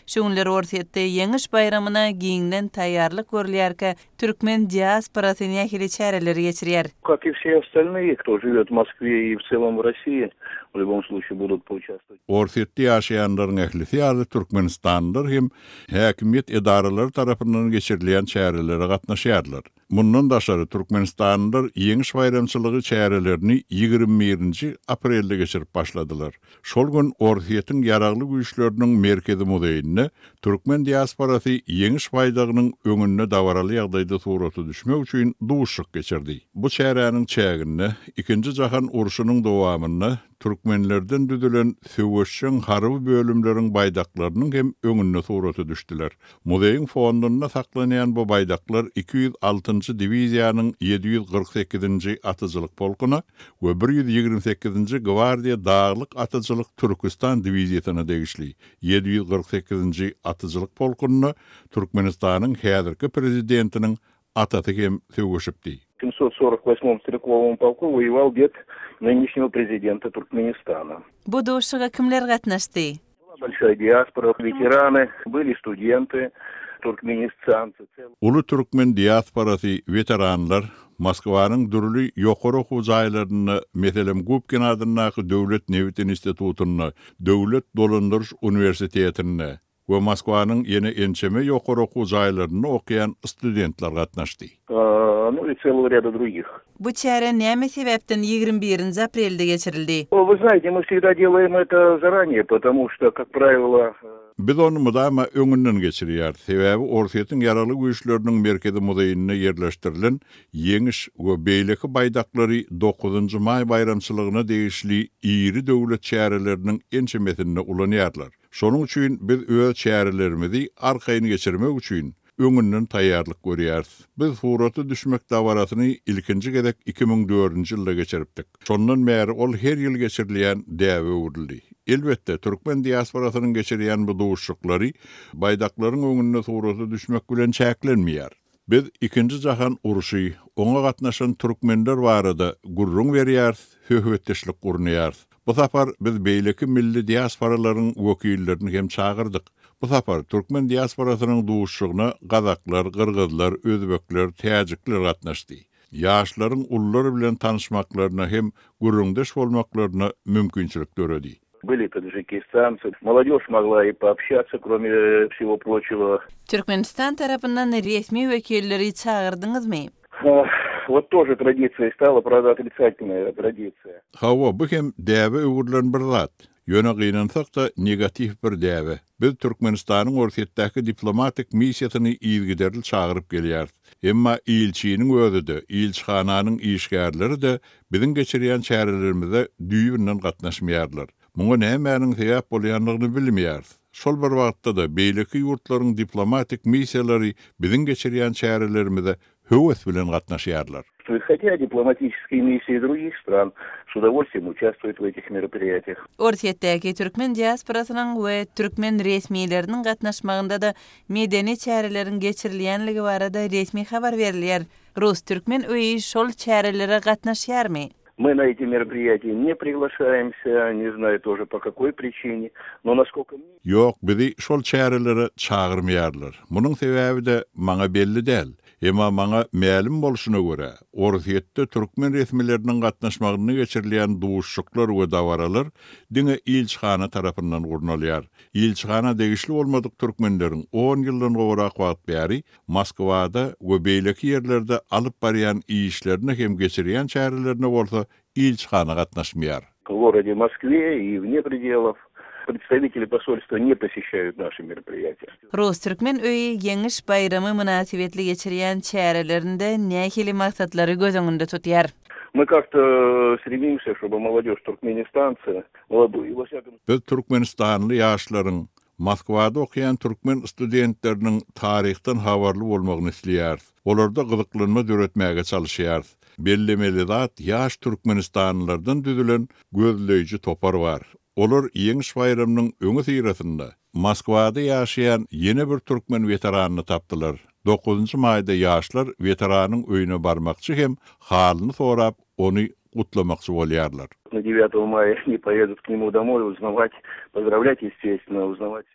Şu günler Orsýetde Ýeňiş baýramyna giňden taýýarlyk görülýärkä, türkmen diasporasy nähili çäreleri geçirýär? Как и все остальные, кто живет в Moskve и в целом в России, в любом случае будут поучаствовать. Orsýetde ýaşaýanlaryň ählisi ýaly türkmenistanlylar hem häkimiýet edaralary tarapyndan geçirilýän çärelere gatnaşýarlar. Mundan daşary, türkmenistanlylar Ýeňiş baýramçylygy çärelerini 21-nji aprelde geçirip başladylar. Şol gün Orsýetiň Ýaragly Güýçleriniň Merkezi muzeýinde türkmen diasporasy Ýeňiş baýdagynyň öňünde dabaraly ýagdaýda surata düşmek üçin duşuşyk geçirdi. Bu çäräniň çäginde Ikinji jahan urşunyň dowamynda türkmenlerden düzülen söweşjeň harby bölümleriň baýdaklarynyň hem öňünde surata düşdüler. Muzeýiň fondunda saklanýan bu baýdaklar 206-njy diwiziýanyň 748-nji atyjylyk polkuna we 128-nji gwardiýa daglyk atyjylyk Türküstan diwiziýasyna degişli. 748-nji atyjylyk polkunda Türkmenistanyň häzirki Prezidentiniň atasy hem söweşipdi. 748 стрелковом полку воевал дед нынешнего президента Туркменистана. Bu duşuşyga kimler gatnaşdy? Была большая диаспора, ветераны, были студенты, туркменистанцы. Uly türkmen diasporasy, weteranlar, Moskwanyň dürli ýokary okuw jaýlarynda, meselem, Gubkin adyndaky döwlet nebit institutynda, döwlet dolandyryş uniwersitetinde we Moskwanyň ýene ençeme ýokary okuw jaýlarynda okaýan studentler gatnaşdy. Ну и целого ряда других. Bu çäre näme sebäpden 21-nji aprelde geçirildi? Вы знаете, мы всегда делаем это заранее, потому что, как правило, Biz ony mydama öňünden geçirýäris, sebäbi Orsýetiň Ýaragly Güýçleriniň Merkezi muzeýinde ýerleşdirilen Ýeňiş we beýleki baýdaklary Dokuzynjy maý baýramçylygyna degişli iri döwlet çäreleriniň ençemesinde ulanýarlar. Şonuň üçin biz öz çärelerimizi arkaýyn geçirmek üçin öňünden taýýarlyk görýäris. Biz surata düşmek dabarasyny ilkinji gezek 2004-nji ýylda geçiripdik. Şondan bäri ol her ýyl geçirilýän däbe öwrüldi. Elbetde, türkmen diasporasynyň geçirýän bu duşuşyklary baýdaklaryň öňünde surata düşmek bilen çäklenmeýär. Biz Ikinji jahan urşy, oňa gatnaşan türkmenler barada gürrüň berýäris, söhbetdeşlik gurnaýarys. Bu sapar biz beýleki milli diasporalaryň wekillerini hem çagyrdyk. Bu sapar türkmen diasporasynyň duşuşygyna gazaklar, gyrgyzlar, özbekler, täjikler gatnaşdy. Ýaşlaryň ulular bilen tanyşmaklaryna hem gürrüňdeş bolmaklaryna mümkinçilik döredi. Были таджикистанцы. Молодежь могла и пообщаться, кроме всего прочего. Türkmenistan tarapyndan resmi wekilleri çagyrdyňyzmy? Вот тоже традицией стала, правда, отрицательная традиция. Hawa, bu hem däbe öwrülen bir zat. Ýöne gynansak-da, negatiw bir däbe. Biz Türkmenistanyň Orsýetdäki diplomatik missiýasyny yzygiderli çagyryp gelýäris. Emma ilçiniň özi-de, ilçihananyň işgärleri-de biziň geçirýän çärelerimize düýbünden gatnaşmaýarlar. Muňa nämäniň sebäp bolýandygyny bilmeýäris. Şol bir wagtda-da beýleki ýurtlaryň diplomatik missiýalary biziň geçirýän çärelerimize höwes bilen gatnaşýarlar. Хотя дипломатические миссии других стран с удовольствием участвуют в этих мероприятиях. Orsýetdäki türkmen diasporasynyň we türkmen resmileriniň gatnaşmagynda-da medeni çäreleriň geçirilýänligi barada resmi habar berilýär. Rus-türkmen öýi şol çärelere gatnaşýarmy? Мы на эти мероприятия не приглашаемся, не знаю тоже по какой причине, но насколько мне. Ýok, bizi şol çärelere çagyrmaýarlar. Munuň sebäbi-de maňa belli däl. Emma maňa mälim bolşuna görä, Orsýetde türkmen resmileriniň gatnaşmagynda geçirilýän duşuşyklar we dabaralar diňe ilçihana tarapyndan gurnalýar. Ilçihana degişli bolmadyk türkmenleriň on ýyldan gowrak wagt bäri Moskwada we beýleki ýerlerde alyp barýan işlerine hem geçirýän çärelerine bolsa ilçihana gatnaşmaýar. В городе Москве и вне пределов представители посольства не посещают наши мероприятия. Rus-türkmen öýi Ýeňiş baýramy mynasybetli geçirýän çärelerinde nähili maksatlary göz öňünde tutýar? Мы как-то стремимся, чтобы молодежь туркменистанцы, молодую, во всяком. Biz türkmenistanly ýaşlaryň Moskwada okaýan türkmen studentleriniň taryhdan habarly bolmagyny isleýäris. Olarda gyzyklanma döretmäge çalyşýarys. Bellemeli zat, ýaş türkmenistanlylardan düzülen gözleýji topar bar. Olar Ýeňiş baýramynyň öňüsyrasynda Moskwada ýaşaýan ýene bir türkmen weteranyny tapdylar. Dokuzynjy maýda ýaşlar weteranyň öýüne barmakçy hem halyny sorap, ony gutlamakçy bolýarlar. На девятого мая они поедут к нему домой узнавать, поздравлять, естественно, узнавать.